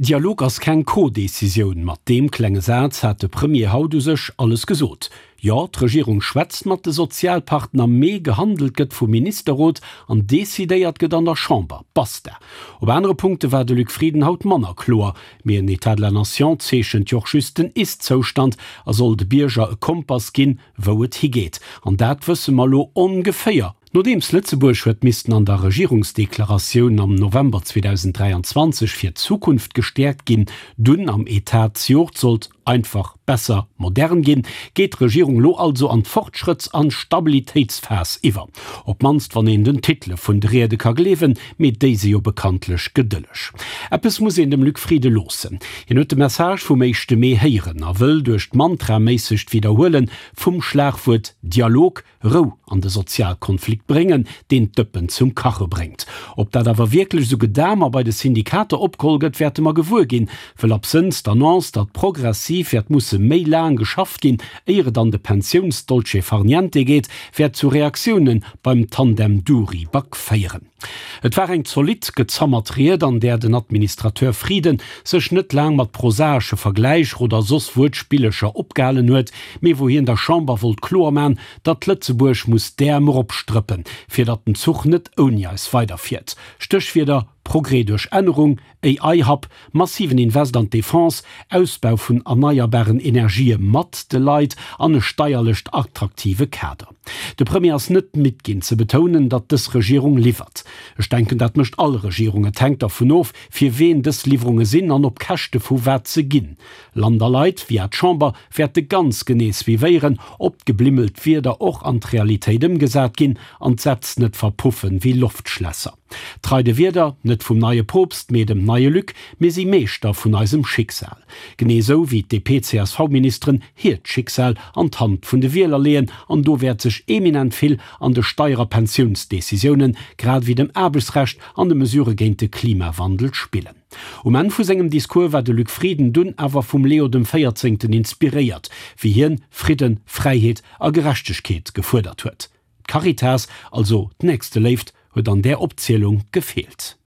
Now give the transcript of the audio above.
Dialog ass keng Co-Decisioun. Mat deem klenge Saz hat de Premier haut u sech alles gesot. Jo, d'Regierung schwätzt mat de Sozialpartner, mee gehandelt gëtt vum Ministerrot an decidéiert gëtt an der Chamber. Basta! Op anere Punkte war de Luc Frieden haut manner kloer. Mee en État de la Nation zeechent jo och just den Ist-Zoustand a soll de Bierger e Kompass ginn, wou et higeet. An dat wësse mer elo ongeféier. Nodeems Lëtzebuerg huet missten an der Regierungsdeklaratioun am November 2023 fir d'Zukunft gestäerkt ginn, dunn am Etat zejoert sollt einfach, besser, modern ginn, geet d'Regierung lo also an d'Fortschrëtts an Stabilitéitsphas iwwer. Op d'mannst wann een den Titele vun de Riede ka gleewen, mee déi si jo bekanntlech gedëlleg. Eppes muss een dem Luc Frieden loossen, hien huet de Message vum éischte Mee héieren a wëll duerch d'mantraméissegt Widderhuele vum Schlagwuert Dialog Rou an de Sozialkonflikt bréngen, deen d'Dëppen zum Kache bréngt. Ob dat awer wierklech esou gedam a bei de Syndikater opgeholl gëtt, wäerte mer gewuer ginn, wëll absënns d'Annonce, datt progressiv wäert musse méi laang geschafft ginn, éier et an de Pensiouns-Dolce far niente geet, wäert zu Reaktioune beim Tandem Dury-Back féieren. Et war eng zolidd gezammert Ried, an där den Administrateur Frieden sech net laang mat prosaesche Vergläicher oder soss Wuertspillecher opgehalen huet, mee wou hien der Chamber wollt kloer man, datt Lëtzebuerg muss d'Äerm eropstrëppen, fir datt den Zuch net ouni eis weiderfiert. Stéchwierder, Progrès duerch Ännerung, AI-Hub, massiven Invest an d'Defense, Ausbau vun erneierbaren Energië mat de Leit an e steierlecht attraktive Kader. De Premier ass net midd ginn ze betounen, datt dës Regierung liwwert. Ech denken, dat mécht all Regierung. Et hänkt dervun of, fir ween dës Liwwerunge sinn an op Käschte vu wat se ginn. Land a Leit, via d'Chamber, wäerte ganz genee suivéieren, ob d'geblimmelt Wierder och an d'Realitéit ëmgesat ginn an d'Sätz net verpuffen wéi Loftschlässer. Trei de Wierder, net vum neie Poopst, mee dem neie Luc, mir si Meeschter vun eisem Schicksal. Genee esou wéi d'DP-CSV-Ministeren hiert Schicksal an d'Hand vun de Wieler leeën, an do wäert sech eminent vill an de Steier a Pensiounsdecisiounen, grad ewéi dem Aarbechtsrecht an de Mesurë géint de Klimawandel spillen. Um Enn vu sengem Discours war de Luc Frieden dunn awer vum Leo dem Véierzéngten inspiréiert, wéi hien Fridden, Fräiheet a Gerechtegkeet gefuerdert huet. D'Caritas, also d'Nächsteléift, huet an där Opzielung gefeelt.